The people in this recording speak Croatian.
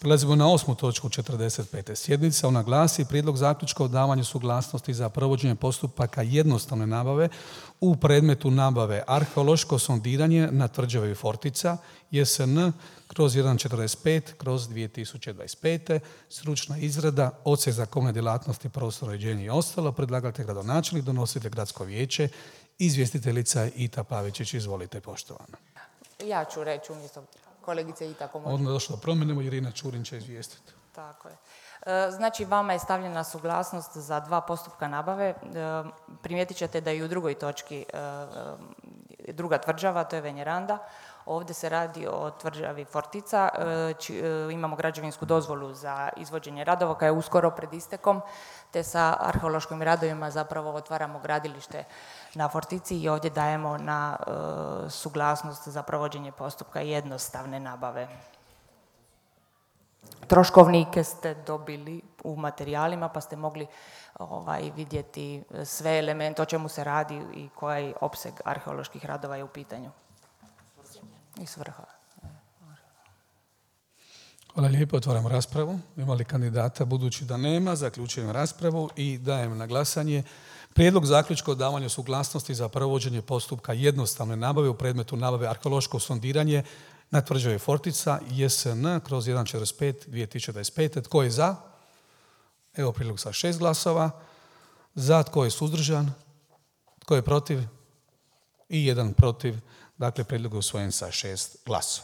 Prelazimo na 8. točku 45. sjednice. Ona glasi: prijedlog zaključka o davanju suglasnosti za provođenje postupaka jednostavne nabave u predmetu nabave arheološko sondiranje na tvrđavi Fortica JSN/145/2025, stručna izrada, odsjek za komunalne djelatnosti, prostorno uređenje i ostalo. Predlagatelj gradonačelnik, donositelj gradsko vijeće, izvjestiteljica Ita Pavičić. Izvolite, poštovana. Ja ću reći umjesto kolegice Ita. Odmah je došlo da promijenimo, Irina Čurin će izvijestiti. Tako je. Znači, vama je stavljena suglasnost za 2 postupka nabave. Primijetit ćete da i u drugoj točki druga tvrđava, to je Venjeranda. Ovdje se radi o tvrđavi Fortica. Imamo građevinsku dozvolu za izvođenje radova koja je uskoro pred istekom, te sa arheološkim radovima zapravo otvaramo gradilište na Fortici i ovdje dajemo na suglasnost za provođenje postupka jednostavne nabave. Troškovnike ste dobili u materijalima pa ste mogli vidjeti sve elemente o čemu se radi i koji opseg arheoloških radova je u pitanju. I svrha. Hvala lijepo, otvaram raspravu. Ima li kandidata? Budući da nema, zaključujem raspravu i dajem na glasanje prijedlog zaključka o davanju suglasnosti za provođenje postupka jednostavne nabave u predmetu nabave arheološko sondiranje na tvrđavi Fortica JSN/145/2025. Tko je za? Evo prijedlog sa 6 glasova. Za, tko je suzdržan? Tko je protiv? I 1 protiv. Dakle, prijedlog je usvojen sa 6 glasova.